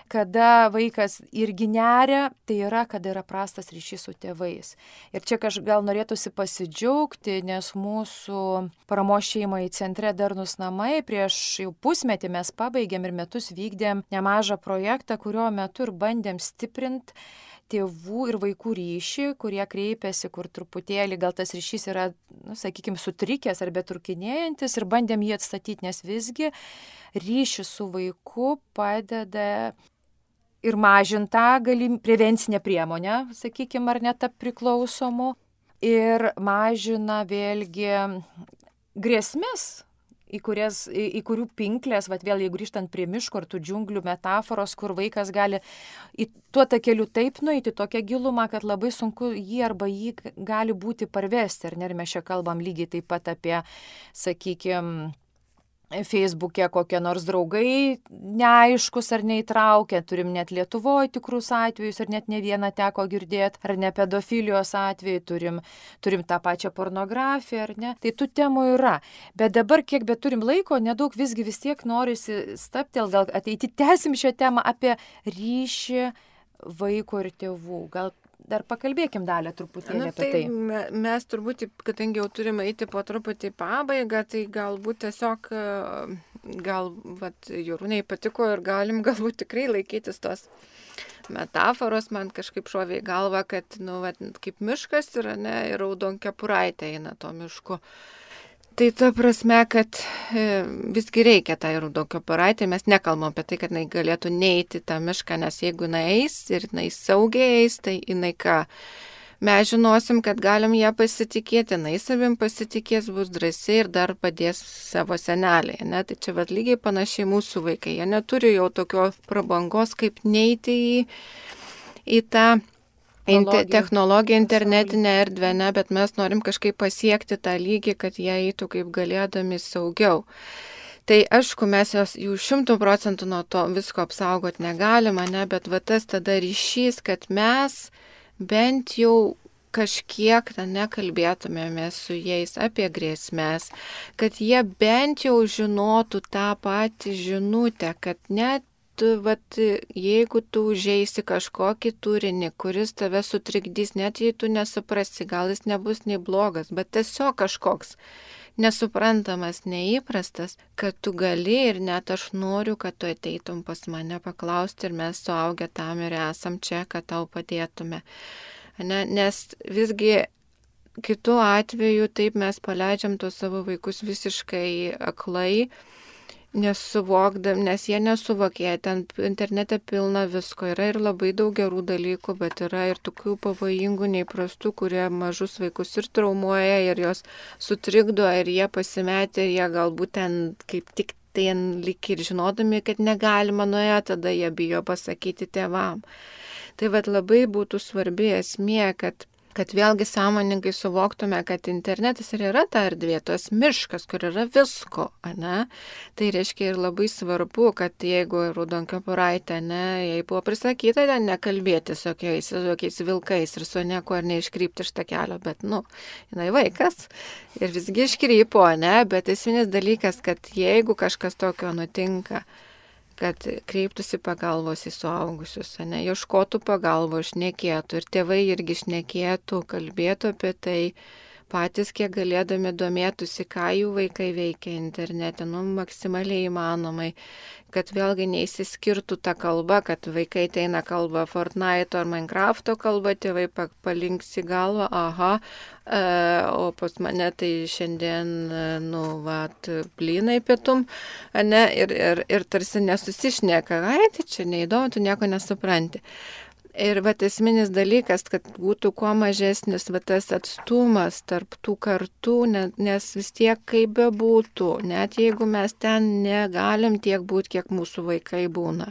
kada vaikas irgi neria, tai yra, kada yra prastas ryšys su tėvais. Ir čia kažkaip gal norėtųsi pasidžiaugti, nes mūsų paramos šeimai centre Darnūs namai prieš jau pusmetį mes pabaigėm ir metus vykdėm nemažą projektą, kurio metu ir bandėm stiprinti tėvų ir vaikų ryšį, kurie kreipiasi, kur truputėlį gal tas ryšys yra, nu, sakykime, sutrikęs ar betrukinėjantis ir bandėm jį atstatyti, nes visgi ryšys su vaiku padeda ir mažintą galim prevencinę priemonę, sakykime, ar net priklausomų, ir mažina vėlgi grėsmės, į, kurias, į, į kurių pinklės, vat vėl jeigu grįžtant prie miško ar tų džiunglių metaforos, kur vaikas gali į tuo takeliu taip nueiti, tokią gilumą, kad labai sunku jį arba jį gali būti parvesti. Ir mes čia kalbam lygiai taip pat apie, sakykime, Facebook'e kokie nors draugai neaiškus ar neįtraukę, turim net Lietuvoje tikrus atvejus ir net ne vieną teko girdėti, ar ne pedofilijos atvejai, turim, turim tą pačią pornografiją, ar ne. Tai tų temų yra. Bet dabar, kiek bet turim laiko, nedaug visgi vis tiek norisi staptel, gal ateiti tęsim šią temą apie ryšį vaiko ir tėvų. Gal dar pakalbėkim dalį truputėlį nu, apie tai. tai. Mes turbūt, kadangi jau turime eiti po truputį pabaigą, tai galbūt tiesiog, gal, vat, Jorūnei patiko ir galim galbūt tikrai laikytis tos metaforos, man kažkaip šovė į galvą, kad, nu, vat, kaip miškas yra, ne, ir raudonkepuraitė eina to mišku. Tai ta prasme, kad e, visgi reikia tą raudonkepuraitę, mes nekalbam apie tai, kad jinai galėtų neiti tą mišką, nes jeigu jinai eis ir jinai saugiai eis, tai jinai ką, mes žinosim, kad galim ją pasitikėti, jinai savim pasitikės, bus drąsiai ir dar padės savo seneliai. Ne? Tai čia vat lygiai panašiai mūsų vaikai, jie neturi jau tokio prabangos, kaip neiti į, į tą Technologija, technologija internetinė erdvė, ne, bet mes norim kažkaip pasiekti tą lygį, kad jie eitų kaip galėdami saugiau. Tai aišku, mes jos jų šimtų procentų nuo to visko apsaugot negalima, ne, bet va tas tada ryšys, kad mes bent jau kažkiek nekalbėtumėme su jais apie grėsmės, kad jie bent jau žinotų tą patį žinutę, kad net Tu, vat, jeigu tu užeisi kažkokį turinį, kuris tave sutrikdys, net jei tu nesuprasi, gal jis nebus nei blogas, bet tiesiog kažkoks nesuprantamas, neįprastas, kad tu gali ir net aš noriu, kad tu ateitum pas mane paklausti ir mes suaugę tam ir esam čia, kad tau padėtume. Ne, nes visgi kitu atveju taip mes paleidžiam tos savo vaikus visiškai aklai, nesuvokdam, nes jie nesuvokė, ten internete pilna visko, yra ir labai daug gerų dalykų, bet yra ir tokių pavojingų, neįprastų, kurie mažus vaikus ir traumuoja, ir jos sutrikdo, ir jie pasimetė, ir jie galbūt ten kaip tik ten lik ir žinodami, kad negalima nuėjo, tada jie bijo pasakyti tėvam. Tai vat labai būtų svarbi esmė, kad kad vėlgi sąmoningai suvoktume, kad internetas ir yra ta erdvė, tos miškas, kur yra visko, ne? Tai reiškia ir labai svarbu, kad jeigu raudonkepuraitė, ne, jai buvo prisakyta ten nekalbėti su jokiais, su jokiais vilkais ir su nieko ir neiškrypti iš tą kelio, bet, nu, jinai vaikas ir visgi iškrypo, ne, bet esminis dalykas, kad jeigu kažkas tokio nutinka, kad kreiptųsi pagalbos į suaugusius, ne, ieškotų pagalbos, šnekėtų ir tėvai irgi šnekėtų, kalbėtų apie tai, patys kiek galėdami domėtųsi, ką jų vaikai veikia internete, nu, maksimaliai įmanomai, kad vėlgi neįsiskirtų ta kalba, kad vaikai ateina kalba Fortnite ar Minecrafto kalba, tėvai palinks į galvą, aha, e, o pas mane tai šiandien, nu, vat, blynai pietum, ne, ir, ir, ir tarsi nesusišneka, ai, tai čia neįdomu, tu nieko nesupranti. Ir vat esminis dalykas, kad būtų kuo mažesnis vat tas atstumas tarp tų kartų, nes vis tiek kaip bebūtų, net jeigu mes ten negalim tiek būti, kiek mūsų vaikai būna.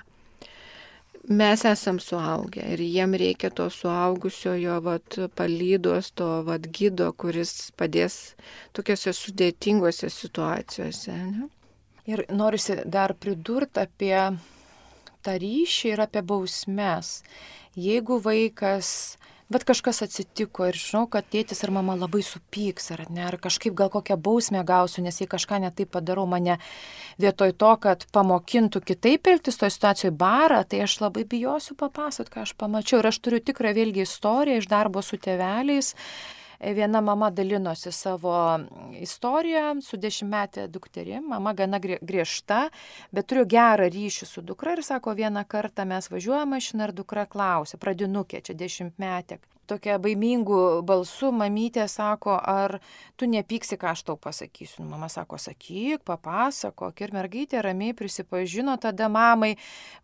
Mes esam suaugę ir jiem reikia to suaugusiojo vat, palydos, to vat, gido, kuris padės tokiose sudėtingose situacijose. Ne? Ir norisi dar pridurti apie tą ryšį ir apie bausmes. Jeigu vaikas, bet kažkas atsitiko ir žinau, kad tėtis ir mama labai supyks, ar ne, ar kažkaip gal kokią bausmę gausiu, nes jei kažką netaip padarau, mane vietoj to, kad pamokintų kitaip elgtis toje situacijoje barą, tai aš labai bijosiu papasakoti, ką aš pamačiau. Ir aš turiu tikrą vėlgi istoriją iš darbo su tėveliais. Viena mama dalinosi savo istoriją su dešimtmetė dukterim, mama gana griežta, bet turiu gerą ryšį su dukra ir sako, vieną kartą mes važiuojame mašiną ir dukra klausė, pradinukė, čia dešimtmetė. Tokia baimingų balsų mamytė sako, ar tu nepyksi, ką aš tau pasakysiu. Mama sako, sakyk, papasakok. Ir mergaitė ramiai prisipažino tada mamai,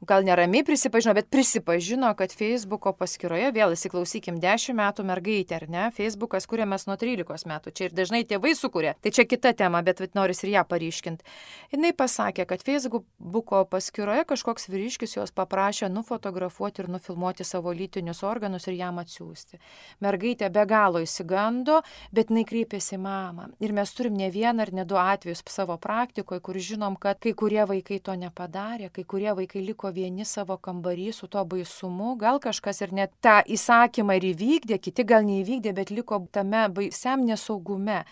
gal neramiai prisipažino, bet prisipažino, kad Facebooko paskyroje, vėl įsiklausykim, dešimt metų mergaitė, ar ne? Facebookas kuriamas nuo trylikos metų. Čia ir dažnai tėvai sukuria. Tai čia kita tema, bet noris ir ją paryškinti. Jis pasakė, kad Facebooko paskyroje kažkoks vyriškis jos paprašė nufotografuoti ir nufilmuoti savo lytinius organus ir jam atsiųsti. Mergaitė be galo įsigando, bet jinai kreipėsi į mamą. Ir mes turim ne vieną ar ne du atvejus savo praktikoje, kur žinom, kad kai kurie vaikai to nepadarė, kai kurie vaikai liko vieni savo kambarį su to baisumu, gal kažkas ir net tą įsakymą ir įvykdė, kiti gal neįvykdė, bet liko tame baisiam nesaugume.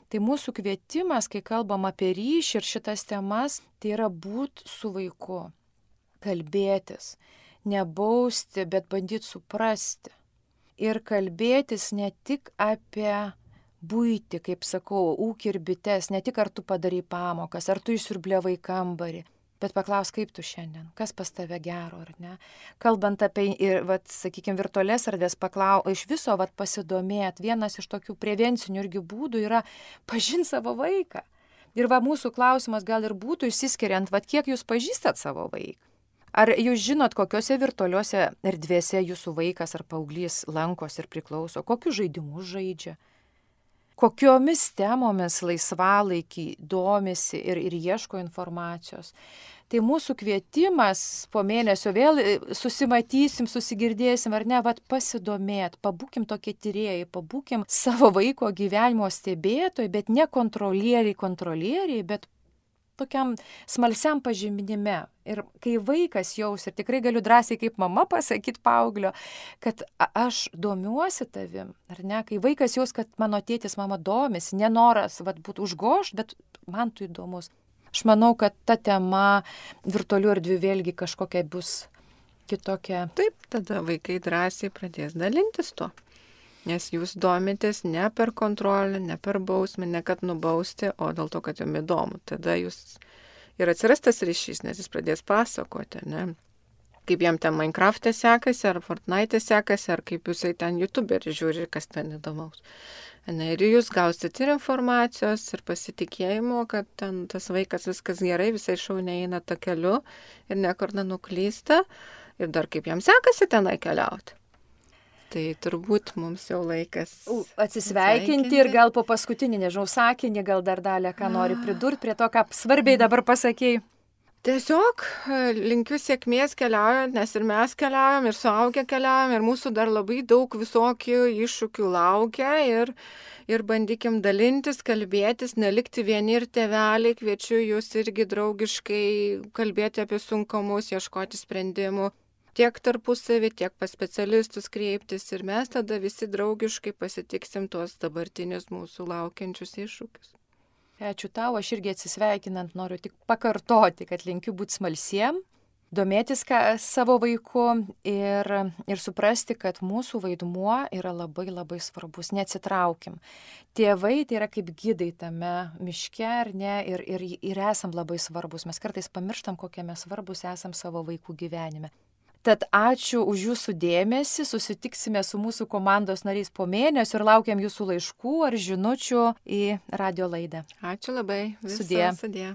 Tai mūsų kvietimas, kai kalbam apie ryšį ir šitas temas, tai yra būti su vaiku, kalbėtis, nebausti, bet bandyti suprasti. Ir kalbėtis ne tik apie buitį, kaip sakau, ūkį ir bites, ne tik ar tu padarai pamokas, ar tu išsiurbliavai kambarį, bet paklaus, kaip tu šiandien, kas pas tave gero, ar ne. Kalbant apie, ir, vat, sakykime, virtualias erdvės, paklau, iš viso vat, pasidomėt, vienas iš tokių prevencinių irgi būdų yra pažinti savo vaiką. Ir va, mūsų klausimas gal ir būtų išsiskiriant, vat, kiek jūs pažįstat savo vaiką. Ar jūs žinot, kokiuose virtualiuose erdvėse jūsų vaikas ar paauglys lankosi ir priklauso, kokius žaidimus žaidžia, kokiomis temomis laisvalaikį domisi ir, ir ieško informacijos. Tai mūsų kvietimas po mėnesio vėl susimatysim, susigirdėsim ar ne, vat pasidomėt, pabūkim tokie tyrėjai, pabūkim savo vaiko gyvenimo stebėtojai, bet ne kontrolieriai, kontrolieriai, bet tokiam smalsiam pažinime. Ir kai vaikas jaus, ir tikrai galiu drąsiai kaip mama pasakyti paauglio, kad aš domiuosi tavim, ar ne, kai vaikas jaus, kad mano tėtis mama domisi, nenoras vat, būti užgošt, bet man tu įdomus. Aš manau, kad ta tema virtualių erdvių vėlgi kažkokia bus kitokia. Taip, tada vaikai drąsiai pradės dalintis tuo. Nes jūs domitės ne per kontrolę, ne per bausmę, ne kad nubausti, o dėl to, kad jums įdomu. Tada jūs ir atsiras tas ryšys, nes jis pradės pasakoti, ne? Kaip jam ten Minecraft'e sekasi, ar Fortnite'e sekasi, ar kaip jisai ten YouTuberį žiūri, kas ten įdomaus. Ne, ir jūs gausit ir informacijos, ir pasitikėjimo, kad ten tas vaikas viskas gerai, visai šauniai eina tą keliu ir niekur nenuklysta. Ir dar kaip jam sekasi tenai keliauti. Tai turbūt mums jau laikas atsisveikinti ir gal po paskutinį, nežinau, sakinį, gal dar dalį, ką nori pridurti prie to, ką svarbiai dabar pasakėjai. Tiesiog linkiu sėkmės keliaujant, nes ir mes keliaujam, ir suaugę keliaujam, ir mūsų dar labai daug visokių iššūkių laukia ir, ir bandykim dalintis, kalbėtis, nelikti vieni ir tėveliai, kviečiu jūs irgi draugiškai kalbėti apie sunkumus, ieškoti sprendimų. Tiek tarpusavį, tiek pas specialistus kreiptis ir mes tada visi draugiškai pasitiksim tuos dabartinius mūsų laukiančius iššūkius. Ačiū tau, aš irgi atsisveikinant noriu tik pakartoti, kad linkiu būti smalsiem, domėtis ką, savo vaiku ir, ir suprasti, kad mūsų vaidmuo yra labai labai svarbus, neatsitraukim. Tėvai tai yra kaip gidai tame miške, ar ne, ir, ir, ir esam labai svarbus. Mes kartais pamirštam, kokie mes svarbus esam savo vaikų gyvenime. Tad ačiū už jūsų dėmesį, susitiksime su mūsų komandos nariais po mėnesio ir laukiam jūsų laiškų ar žinučių į radio laidą. Ačiū labai. Sudie. Sudie.